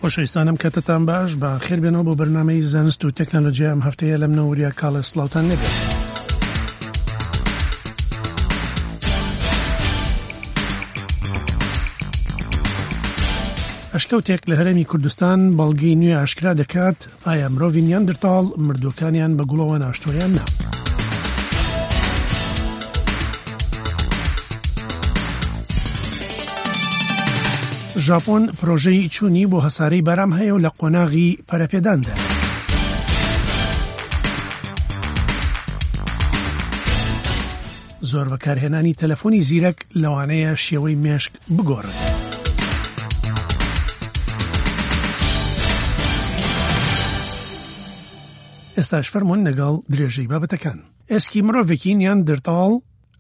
خۆشەویستانم کاتتان باش بە خێر بێنەوە بۆ بەرنامەی زانست و تەکنەلۆژیا ئەم هەفتەیە لەم نەوریا کاڵێ سڵاوتان لێبێت. ئەشکەوتێک لە هەرێمی کوردستان بەڵگەی نوێ ئاشکرا دەکات ئایا مرۆڤی نیاندرتاڵ مردووەکانیان بە گوڵەوە ناشتووە یان نا؟ ژاپۆن پرۆژەی چوونی بۆ هەسارەی بارام هەیە و لە قۆناغی پەرەپێداندا. زۆر بەکارهێنانی تەلەفۆنی زیرەک لەوانەیە شێوەی مێشک بگۆڕێت. ئێستاش فەرموون لەگەڵ درێژەی بابەتەکان. ئێسکی مرۆڤێکی نیاندرتاڵ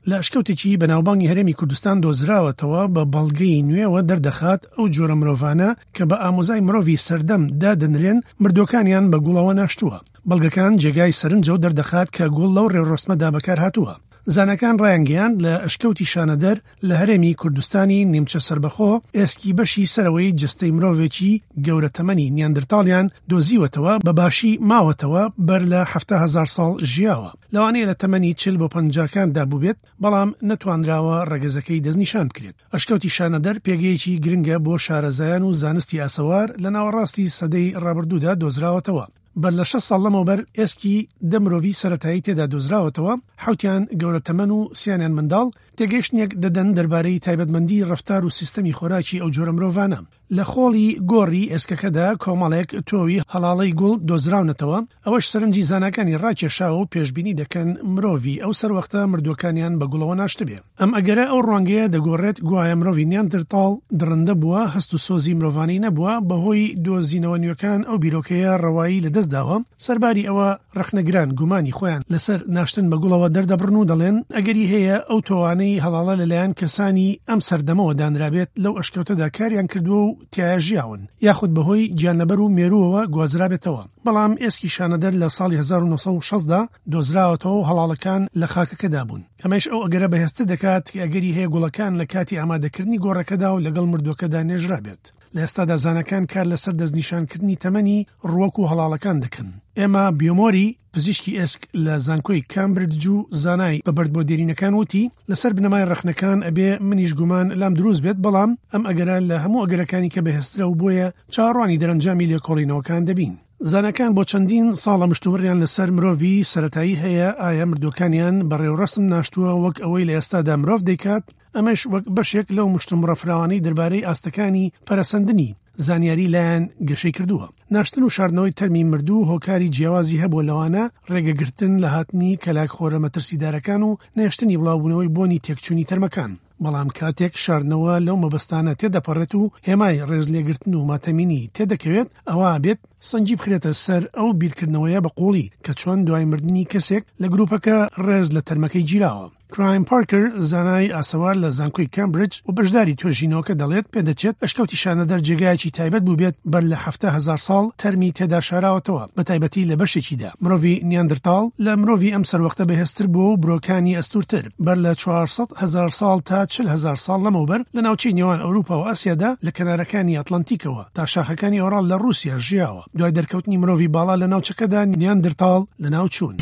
لە ئەشکەوتێکی بەناوبانگی هەرێمی کوردستان دۆزراوەتەوە بە بەڵگەی نوێوە دەردەخات ئەو جۆرە مرۆڤانە کە بە ئامۆزای مرۆڤی سەردەم دادەنرێن مردووەکانیان بە گوڵەوە ناشتووە. بەڵگەکان جێگای سەرنجە و دەردەخات کە گوڵ لەو ڕێوڕەسمەدا بەکارهاتووە. زاناکان ڕایانگەیاند لە ئەشکەوتی شانەدەر لە هەرێمی کوردستانی نیمچە سەربەخۆ ئێسکی بەشی سەرەوەی جەستەی مرۆڤێکی گەورە تەمەنی نیاندرتاڵیان دۆزیوەتەوە بە باشی ماوەتەوە بەر لە 70 هەزار ساڵ ژیاوە لەوانەیە لە تەمەنی 40 بۆ 50کاندا بووبێت بەڵام نەتوانراوە ڕەگەزەکەی دەستنیشان بکرێت. ئەشکەوتی شانەدەر پێگەیەکی گرنگە بۆ شارەزایان و زانستی ئاسەوار لە ناوەڕاستی سەدەی ڕابردوودا دۆزراوەتەوە. بەر لە 6 ساڵ لەمەوبەر ئێسکی 10 مرۆڤی سەرەتایی تێدا دۆزراوەتەوە، حەوتیان گەورە تەمەن و سیانیان منداڵ، تێگەیشتنێک دەدەن دەربارەی تایبەتمەندی ڕەفتار و سیستەمی خۆراکی ئەو جۆرە مرۆڤانە. لە خۆڵی گۆڕی ئێسکەکەدا کۆمەڵێک تۆوی هەڵاڵەی گوڵ دۆزراونەتەوە، ئەوەش سەرنجی زاناکانی ڕاکێشاوە و پێشبینی دەکەن مرۆڤی ئەو سەروەختە مردووەکانیان بە گوڵەوە ناشتبێ. ئەم ئەگەرە ئەو ڕوانگەیە دەگۆڕێت گوایە مرۆڤی نیاندرتاڵ دڕندە بووە، هەست و سۆزی مرۆڤانەی نەبووە، بەهۆی دۆزینەوە نوێکان ئەو بیرۆکەیە ڕەوایی لەدەستداوە، سەرباری ئەوە ڕەخنەگران گومانی خۆیان لەسەر ناشتن بە گوڵەوە دەردەبڕن و دەڵێن ئەگەری هەیە ئەو تۆوانەی هەڵاڵە لەلایەن کەسانی ئەم سەردەمەوە دانرابێت لەو ئەشکەوتەدا کاریان کردووە و تیایا ژیاون یاخود بەهۆی گیانلەبەر و مێرووەوە گوازرابێتەوە بەڵام ئێسکی شانەدەر لە ساڵی 1960 دا دۆزراوەتەوە و هەڵاڵەکان لە خاکەکەدا بوون ئەمەش ئەو ئەگەرە بەهێزتر دەکات کە ئەگەری هەیە گوڵەکان لە کاتی ئامادەکردنی گۆڕەکەدا و لەگەڵ مردووەکەدا نێژرابێت. لە ئێستادا زاناکان کار لەسەر دەستنیشانکردنی تەمەنی ڕووەک و هەڵاڵەکان دەکەن. ئێما بیۆمۆری، پزیشکی ئێسک لە زانکۆی کامبردج و زانای بە بەردبووە دێرینەکان وتی، لەسەر بنەمای ڕەخنەکان ئەبێ منیش گومان لام دروست بێت، بەڵام ئەم ئەگەرە لە هەموو ئەگەرەکانی کە بەهێزترە و بۆیە چاوەڕوانی دەرەنجامی لێکۆڵینەوەکان دەبین. زاناکان بۆ چەندین ساڵە مشتومڕیان لەسەر مرۆڤی سەرەتایی هەیە ئایا مردووەکانیان بە ڕێوڕەسم ناشتووە وەک ئەوەی لە ئێستادا مرۆڤ دەیکات، ئەمەش وەک بەشێک لەو مشتومڕە فراوانەی دەربارەی ئاستەکانی پەرەسەندنی زانیاری لایان گەشەی کردووە. ناشتن و شاردنەوەی تەرمی مردوو هۆکاری جیاوازی هەبووە لەوانە ڕێگەگرتن لە هاتنی کەلاکخۆرە مەترسیدارەکان و نەهێشتنی بڵاوبوونەوەی بۆنی تێکچوونی تەرمەکان. بەڵام کاتێک شاردنەوە لەو مەبەستانە تێدەپەڕێت و هێمای ڕێزلێگرتن و ماتەمینی تێدەکەوێت ئەوا بێت سەنگی بخرێتە سەر ئەو بیرکردنەوەیە بە قووڵی کە چۆن دوای مردنی کەسێک لە گرووپەکە ڕێز لە تەرمەکەی گیراوە. کرایم پارکەر، زانای ئاسەوار لە زانکۆی کامبریدج و بەشداری توێژینەوەکە دەڵێت، پێدەچێت ئەشکەوتی شانەدەر جێگایەکی تایبەت بووبێت بەر لە 70 هەزار ساڵ تەرمی تێدا شاراوەتەوە، بەتایبەتی لە بەشێکیدا. مرۆڤی نیاندرتاڵ لە مرۆڤی ئەم سەروەختە بەهێزتر بووە و برۆکانی ئەستوورتر. بەر لە 400 هەزار ساڵ تا 40 هەزار ساڵ لەمەوبەر لە ناوچەی نێوان ئەوروپا و ئاسیادا لە کەنارەکانی ئەتلەنتیکەوە تا شاخەکانی ئۆراڵ لە ڕووسیا ژیاوە. دوای دەرکەوتنی مرۆڤی باڵا لە ناوچەکەدا نیاندرتاڵ لەناوچوون.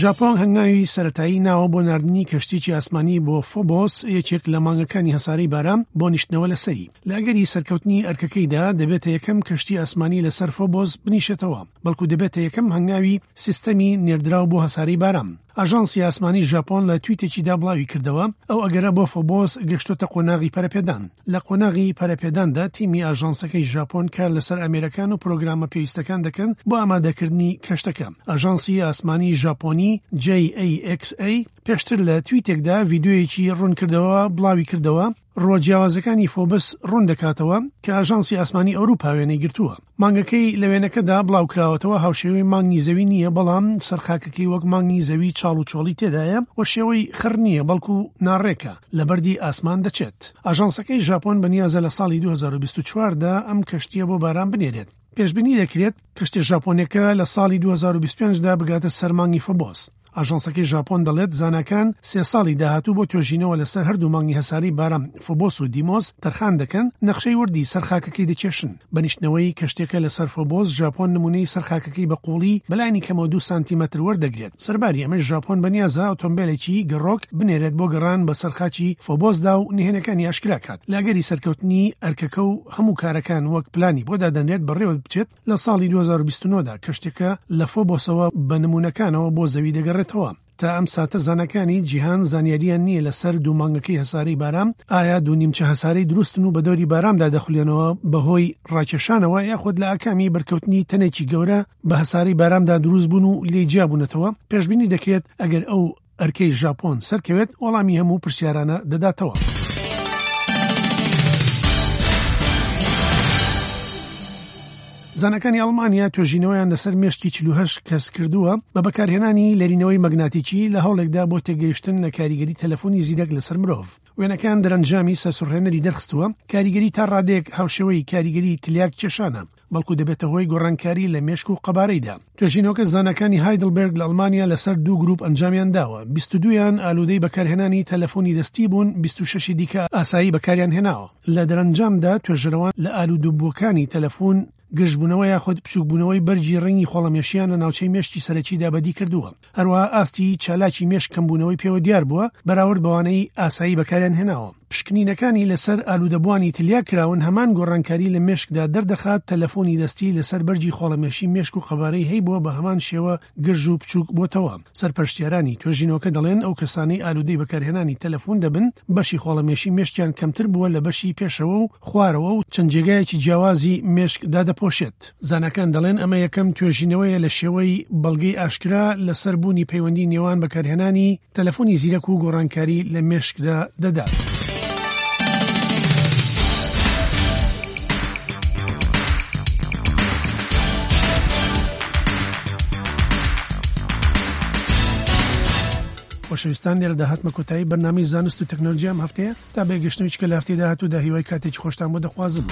ژاپۆن هەنگاوی سەرەتایی ناوە بۆ ناردنی کەشتیی ئاسمانی بۆ فۆبۆس، یەکێک لە مانگەکانی هەسارەی بارام بۆ نیشتنەوە لەسەری. لە ئەگەری سەرکەوتنی ئەرکەکەیدا دەبێتە یەکەم کەشتی ئاسمانی لەسەر فۆبۆس بنیشێتەوە، بەڵکو دەبێتە یەکەم هەنگاوی سیستەمی نێردراو بۆ هەسارەی بارام. ئاژانسی ئاسمانی ژاپۆن لە تویتێکیدا بڵاویکردەوە، ئەو ئەگەرە بۆ فۆبۆس گەشتۆتە قۆناغی پەرەپێدان. لە قۆناغی پەرەپێداندا تیمی ئاژانسەکەی ژاپۆن کار لەسەر ئامێرەکان و پرۆگرامە پێویستەکان دەکەن بۆ ئامادەکردنی کەشتەکە. ئاژانسی ئاسمانی ژاپۆنی JAXA پێشتر لە تویتێکدا ڤیدیۆیەکی ڕوونکردەوە بڵاویکردەوە، ڕووە جیاوازەکانی فۆبس ڕوون دەکاتەوە کە ئاژانسی ئاسمانی ئەوروپا وێنەی گرتووە. مانگەکەی لە وێنەکەدا بڵاوکراوەتەوە هاوشێوەی مانگی زەوی نییە، بەڵام سەرخاکەکەی وەک مانگی زەوی چاڵ و چۆڵی تێدایە و شێوەی خڕ نییە بەڵکو ناڕێکە، لە بەردی ئاسمان دەچێت. ئاژانسەکەی ژاپۆن بەنیازە لە ساڵی 2024 دا ئەم کەشتییە بۆ باران بنێرێت. پێشبینی دەکرێت کەشتیە ژاپۆنیەکە لە ساڵی 2025 دا بگاتە سەر مانگی فۆبۆس. ئاژانسەکەی ژاپۆن دەڵێت زاناکان سێ ساڵی داهاتوو بۆ توێژینەوە لەسەر هەردوو مانگی هەسارەی بارام فۆبۆس و دیمۆس تەرخان دەکەن، نەخشەی وردی سەر خاکەکەی دەکێشن. بە نیشتنەوەی کەشتیەکە لەسەر فۆبۆس، ژاپۆن نموونەی سەر خاکەکەی بە قووڵی بەلایەنی کەمەوە دوو سانتیمەتر وەردەگرێت. سەرباری ئەمەش ژاپۆن بەنیازە ئۆتۆمبێلێکی گەڕۆک بنێرێت بۆ گەڕان بەسەر خاکی فۆبۆسدا و نهێنەکانی ئاشکرا کات. لە ئەگەری سەرکەوتنی ئەرکەکە و هەموو کارەکان وەک پلانی بۆ دادەنرێت بەڕێوە بچێت، لە ساڵی 2029 دا کەشتیەکە لە فۆبۆسەوە بە نموونەکانەوە بۆ زەوی دەگەڕێتەوە. تا ئەم ساتە زاناکانی جیهان زانیارییان نییە لەسەر دوو مانگەکەی هەسارەی بارام، ئایا دوو نیمچە هەسارەی دروستن و بەدەوری بارامدا دەخولێنەوە بەهۆی ڕاکێشانەوە یاخود لە ئاکامی بەرکەوتنی تەنێکی گەورە بە هەسارەی بارامدا دروست بوون و لێی جیابوونەتەوە، پێشبینی دەکرێت ئەگەر ئەو ئەرکەی ژاپۆن سەرکەوێت وەڵامی هەموو پرسیارانە دەداتەوە. زاناکانی ئەڵمانیا توێژینەوەیان لەسەر مێشکی 48 کەس کردووە بە بەکارهێنانی لەرینەوەی مەگناتیکی لە هەوڵێکدا بۆ تێگەیشتن لە کاریگەری تەلەفۆنی زیرەک لەسەر مرۆڤ. وێنەکان دەرەنجامی سەرسوڕهێنەری دەرخستووە، کاریگەری تا ڕادەیەک هاوشێوەی کاریگەری تلیاک کێشانە، بەڵکو دەبێتە هۆی گۆڕانکاری لە مێشک و قەبارەیدا. توێژینەوەکە زاناکانی هایدڵبێرگ لە ئەڵمانیا لەسەر دوو گروپ ئەنجامیان داوە، 22 یان ئالوودەی بەکارهێنانی تەلەفۆنی دەستی بوون، 26 ی دیکە ئاسایی بەکاریان هێناوە. لە دەرەنجامدا توێژەرەوان لە ئالوودەبووەکانی تەلەفون گرژبوونەوە یاخود بچووکبوونەوەی بەرگی ڕەنگی خۆڵەمێشیان لە ناوچەی مێشکی سەرەکیدا بەدی کردووە. هەروەها ئاستی چالاکی مێشک کەمبوونەوەی پێوە دیار بووە بەراورد بەوانەی ئاسایی بەکاریان هێناوە. پشکنینەکانی لەسەر ئالوودەبووانی تلیاک کراون هەمان گۆڕانکاری لە مێشکدا دەردەخات، تەلەفۆنی دەستی لەسەر بەرگی خۆڵەمێشی مێشک و قەبارەی هەیبووە بە هەمان شێوە گرژ و بچووک بۆتەوە. سەرپەرشتیارانی توێژینەوەکە دەڵێن ئەو کەسانەی ئالوودەی بەکارهێنانی تەلەفون دەبن بەشی خۆڵەمێشی مێشکیان کەمتر بووە لە بەشی پێشەوە و خوارەوە و چەند جێگایەکی جیاوازی مێشک دادەپۆشێت. زاناکان دەڵێن ئەمە یەکەم توێژینەوەیە لە شێوەی بەڵگەی ئاشکرا لەسەر بوونی پەیوەندی نێوان بەکارهێنانی تەلەفۆنی زیرەک و گۆڕانکاری لە مێشکدا دەدات. خۆشەویستان لێرەدا هاتمە کۆتایی بەرنامەی زانست و تەکنەلۆژیا ئەم هەفتەیە تا بەیەکگەشتنەوەی چکە لە هەفتەی داهاتوودا هیوای کاتێکی خۆشتان بۆ دەخوازم.